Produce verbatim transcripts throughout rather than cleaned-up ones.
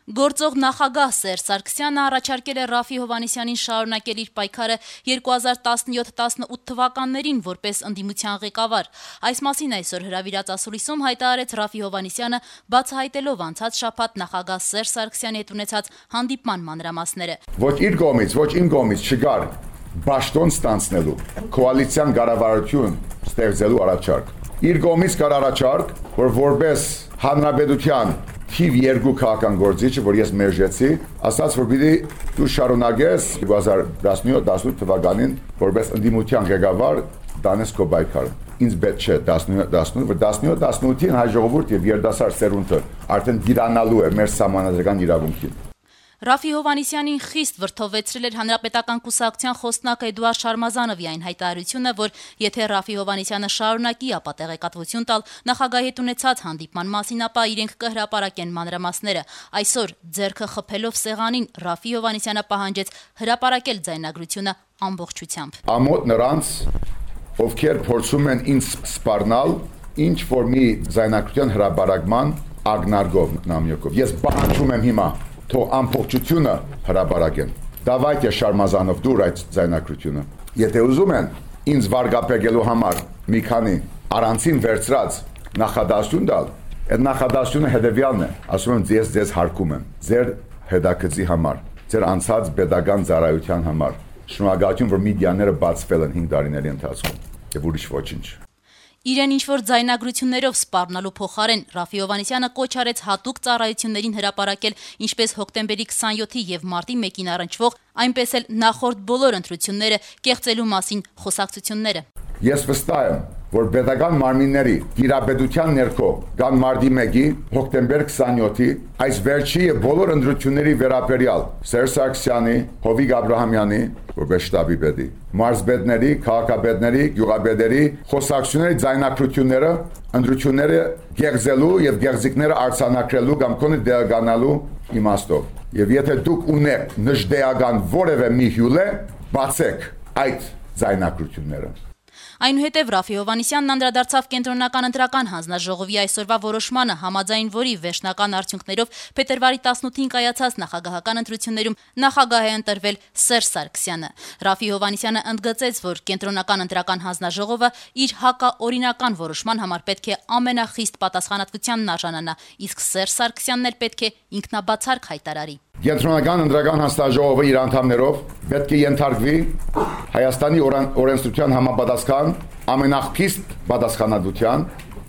Գործող նախագահ Սերժ Սարգսյանը առաջարկել է Ռաֆի Հովհաննիսյանին շարունակել իր պայքարը երկու հազար տասնյոթ տասնութ թվականներին որպես ընդդիմության ղեկավար։ Այս մասին այսօր հրավիրած ասուլիսում հայտարարեց Ռաֆի Հովհաննիսյանը, բացահայտելով անցած շաբաթ նախագահ Սերժ Սարգսյանի հետ ունեցած հանդիպման մանրամասները։ Ոչ իր կողմից, ոչ իմ կողմից չկար բաշտոն ստանցնելու, կոալիցիան կառավարություն ստեղծելու առաջարկ։ Իր կողմից կար առաջարկ, որ որպես հանրապետության թիվ երկու քաղաքական գործիչը, որ ես մերժեցի, ասաց, որ պիտի դու շարունակես երկու հազար տասնյոթ տասնութ թվականին որպես ընդդիմության ղեկավար տանես քո պայքարը։ Ինձ պետք չէ տասնյոթ տասնութ, որ տասնյոթ տասնութին հայ ժողովուրդ եւ երիտասարդ սերունդը արդեն դիրանալու է մեր սահմանադրական իրավունքին։ Ռաֆի Հովհաննիսյանին խիստ վրդովեցրել էր Հանրապետական կուսակցության խոսնակ Էդուարդ Շարմազանովի այն հայտարարությունը, որ եթե Ռաֆի Հովհաննիսյանը շարունակի ապա տեղեկատվություն տալ նախագահի հետ ունեցած հանդիպման մասին, ապա իրենք կհրապարակեն մանրամասները։ Այսօր ձեռքը խփելով սեղանին Ռաֆի Հովհաննիսյանը պահանջեց հրապարակել ձայնագրությունը ամբողջությամբ։ Ամոթ նրանց, ովքեր փորձում են ինձ սպառնալ ինչ որ մի ձայնագրության հրապարակման ագնարգով նամյոկով։ Ես պահանջում եմ հիմա թող ամբողջությունը հրապարակեն։ Դավայտե Շարմազանով դուր այդ ձայնագրությունը։ Եթե ուզում են ինձ վարկապեկելու համար մի քանի առանցին վերցրած նախադասություն տալ, այդ նախադասությունը հետևյալն է, ասում եմ ձեզ ձեզ հարկում եմ, ձեր հետաքրքրի համար, ձեր անցած pedagogan ծառայության համար։ Շնորհակալություն, որ մեդիաները բացվել են հինգ տարիների ընթացքում, եւ ուրիշ ոչինչ։ Իրեն ինչ-որ ձայնագրություններով սպառնալու փոխարեն Ռաֆի Հովհաննիսյանը կոչ արեց հատուկ ծառայություններին հրապարակել ինչպես հոկտեմբերի քսանյոթի եւ մարտի մեկին առնչվող, այնպես էլ նախորդ բոլոր ընտրությունները կեղծելու մասին խոսակցությունները։ Ես վստահ եմ, որ pedagogan մարմինների դիրապետության ներքո կան մարտի մեկի, հոկտեմբեր քսանյոթի, այս վերջի եւ բոլոր ընտրությունների վերաբերյալ Սերժ Սարգսյանի, Հովիկ Աբրահամյանի, որպես շտաբի պետի, մարզպետների, քաղաքապետների, գյուղապետերի խոսակցությունների ձայնագրությունները, ընտրությունները գեղձելու եւ գեղձիկները արձանագրելու կամ կոնը դեղանալու իմաստով։ Եվ եթե դուք ունեք նժդեական որևէ մի հյուլե, բացեք այդ ձայնագրությունները։ Այնուհետև Ռաֆի Հովհաննիսյանն անդրադարձավ կենտրոնական ընտրական հանձնաժողովի այսօրվա որոշմանը, համաձայն որի վերջնական արդյունքներով փետրվարի տասնութին կայացած նախագահական ընտրություններում նախագահ է ընտրվել Սերժ Սարգսյանը։ Ռաֆի Հովհաննիսյանը ընդգծեց, որ կենտրոնական ընտրական հանձնաժողովը իր հակաօրինական որոշման համար պետք է ամենախիստ պատասխանատվությանն արժանանա, իսկ Սերժ Սարգսյանն էլ պետք է ինքնաբացարկ հայտարարի։ Կենտրոնական ընտրական հանձնաժողովը իր անդամներով պետք է ենթարկվի Հայաստանի օրենսդրության համապատասխան ամենախիստ պատասխանատվության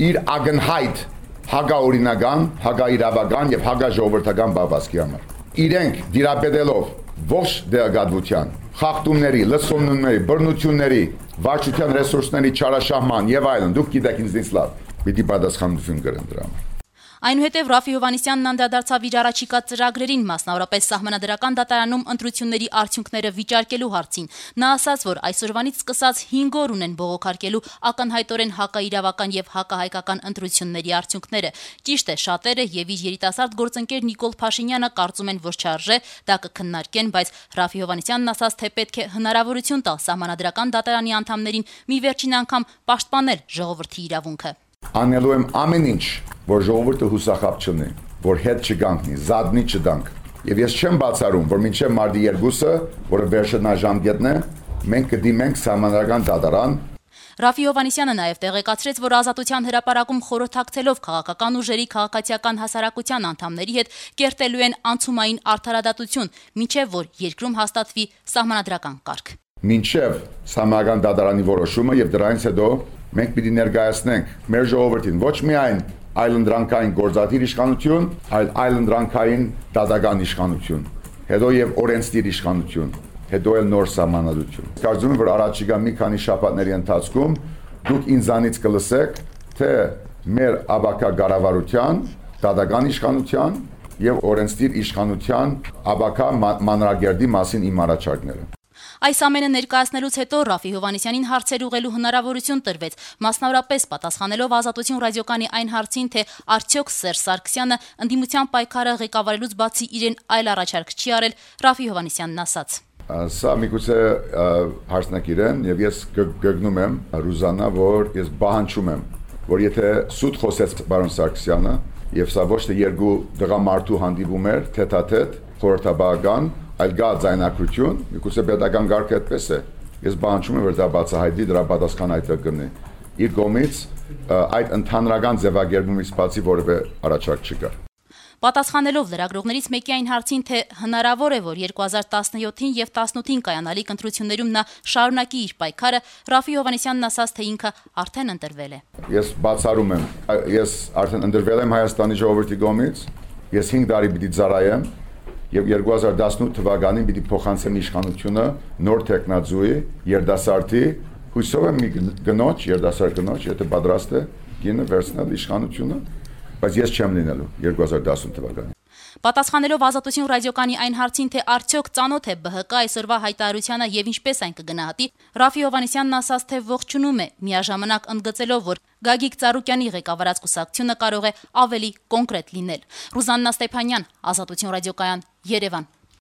իր ագնհայտ հակաօրինական, հակաիրավական եւ հակաժողովրդական բավասկի համար։ Իրենք դիրապետելով ողջ դեղագատվության, խախտումների, լսումների, բռնությունների, վարչության ռեսուրսների չարաշահման եւ այլն, դուք գիտեք ինձնից լավ, պիտի պատասխանատվություն կրեն դրա համար։ Այնուհետև Ռաֆի Հովհաննիսյանն անդրադարձավ իր առաջիկա ծրագրերին, մասնավորապես Սահմանադրական դատարանում ընտրությունների արդյունքները վիճարկելու հարցին։ Նա ասաց, որ այսօրվանից սկսած հինգ օր ունեն բողոքարկելու ակնհայտորեն հակաիրավական եւ հակահայկական ընտրությունների արդյունքները։ Ճիշտ է, շատերը եւ իր երիտասարդ գործընկեր Նիկոլ Փաշինյանը կարծում են, որ չարժե դա կքննարկեն, բայց Ռաֆի Հովհաննիսյանն ասաց, թե պետք է հնարավորություն տալ Սահմանադրական դատարանի անդամներին մի վերջին անգամ պաշտպանել ժողովրդի իրավունքը։ Անելու եմ ամեն ինչ, որ ժողովուրդը հուսախաբ չունի, որ հետ չգանքնի, զադնի չդանք։ Եվ ես չեմ բացառում, որ մինչև մարտի երկուսը, որը վերջնաժամկետն է, մենք կդիմենք Սահմանադրական դատարան։ Ռաֆի Հովհաննիսյանը նաև տեղեկացրեց, որ Ազատության հրապարակում խորհրդակցելով քաղաքական ուժերի քաղաքացիական հասարակության անդամների հետ կերտելու են անցումային արդարադատություն, մինչև որ երկրում հաստատվի սահմանադրական կարգ։ Մինչև Սահմանադրական դատարանի որոշումը եւ դրանից հետո մենք պիտի ներկայացնենք մեր ժողովրդին ոչ միայն այլընտրանքային գործադիր իշխանություն, այլ այլընտրանքային դատական իշխանություն, հետո եւ օրենսդիր իշխանություն, հետո էլ նոր սահմանադրություն։ Կարծում եմ, որ առաջիկա մի քանի շաբաթների ընթացքում դուք ինձանից կլսեք, թե մեր աբակա կառավարության, դատական իշխանության եւ օրենսդիր իշխանության աբակա մանրագերդի մասին իմ առաջարկները։ Այս ամենը ներկայացնելուց հետո Ռաֆի Հովհաննիսյանին հարցեր ուղղելու հնարավորություն տրվեց, մասնավորապես պատասխանելով Ազատություն ռադիոկայանի այն հարցին, թե արդյոք Սերժ Սարգսյանը ընդդիմության պայքարը ղեկավարելուց բացի իրեն այլ առաջարկ չի արել, Ռաֆի Հովհաննիսյանն ասաց. Սա միգուցե հարցնեք իրեն, եւ ես գգնում եմ Ռուզանա, որ ես պահանջում եմ, որ եթե սուտ խոսեց պարոն Սարգսյանը Եվ սա ոչ թե երկու դղամարդու հանդիպում էր, թեթաթեթ, խորհրդաբանական, այլ գա ձայնագրություն, միգուցե պետական կարգը այդպես է։ Ես բանջում եմ, որ դա բացահայտվի, դրա պատասխան այդտեղ կգտնի։ Իր կողմից այդ ընդհանրական ձևակերպումից բացի որևէ առաջարկ չկա։ Պատասխանելով լրագրողներից մեկի այն հարցին, թե հնարավոր է, որ երկու հազար տասնյոթին եւ տասնութին կայանալիք ընտրություններում նա շարունակի իր պայքարը, Ռաֆի Հովհաննիսյանն ասաց, թե ինքը արդեն ընտրվել է։ Ես բացառում եմ, ես արդեն ընտրվել եմ Հայաստանի ժողովրդի կողմից, ես հինգ տարի պիտի ծառայեմ եւ երկու հազար տասնութ թվականին պիտի փոխանցեմ իշխանությունը նոր տեխնազույի, երդասարտի, հույսով եմ մի գնոջ, երդասարտ գնոջ, եթե պատրաստ է գինը վերցնել իշխանությունը, բայց ես չեմ լինելու երկու հազար տասնութ թվականին։ Պատասխանելով Ազատություն ռադիոկանի այն հարցին, թե արդյոք ծանոթ է ԲՀԿ այսօրվա հայտարարությանը եւ ինչպես այն կգնահատի, Ռաֆի Հովհաննիսյանն ասաց, թե ողջունում է, միաժամանակ ընդգծելով, որ Գագիկ Ծառուկյանի ղեկավարած կուսակցությունը կարող է ավելի կոնկրետ լինել։ Ռուզաննա Ստեփանյան, Ազատություն ռադիոկայան, Երևան։